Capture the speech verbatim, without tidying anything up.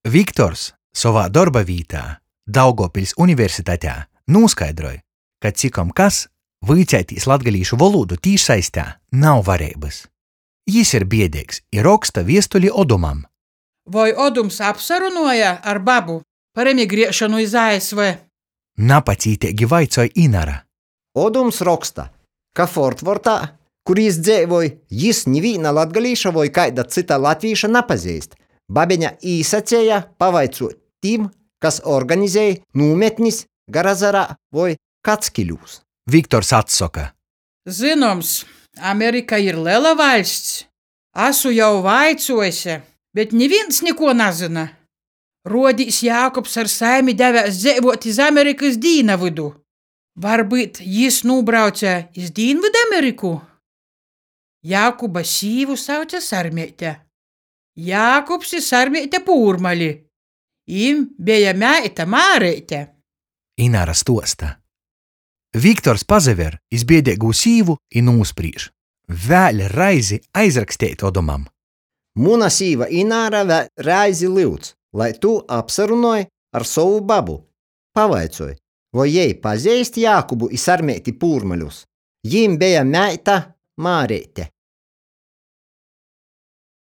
Viktors sovā dorba vītā, Daugovpiļs Universitatē, nūskaidroj, ka cikom kas vuiceitīs latgalīšu volūdu tīšsaistē nav vareibys. Jis ir biedeigs i roksta viestuli Odumam. Voi Odums apsarunuoja ar babu par emigriešonu iz A S V? Napacīteigi vaicoj Inara. Odums roksta, ka Fortvortā, kur jis dzeivoj, jis nivīna latgalīša voi kaida cyta latvīša napazeist. Babeņa īsaceja pavaicuot tim, kas organizej nūmetnis Garazarā voi Kackiļūs. Viktors atsoka. Zynoms, Amerika ir lela vaļsts. Asu jau vaicuojuse, bet nivīns nikuo nazyna. Ruodīs, Jākubs ar saimi devēs dzeivuot iz Amerikys dīnavydu. Varbyut jis nūbrauce iz Dīnvydameriku? Jākuba sīvu sauce Sarmeite. Jākubs i Sarmeite Pūrmali. Jim beja meita Māreite. Inara stuosta. Viktors pasaver iz biedeigū sīvu i nūsprīž. Vēļ reizi aizraksteit Odumam. Muna sīva Ināra vēl reizi lyudz, lai tu apsarunoj ar sovu babu. Pavaicoj, voi jei pazeist Jākubu i Sarmeiti Pūrmaļus. Jim beja meita Māreite.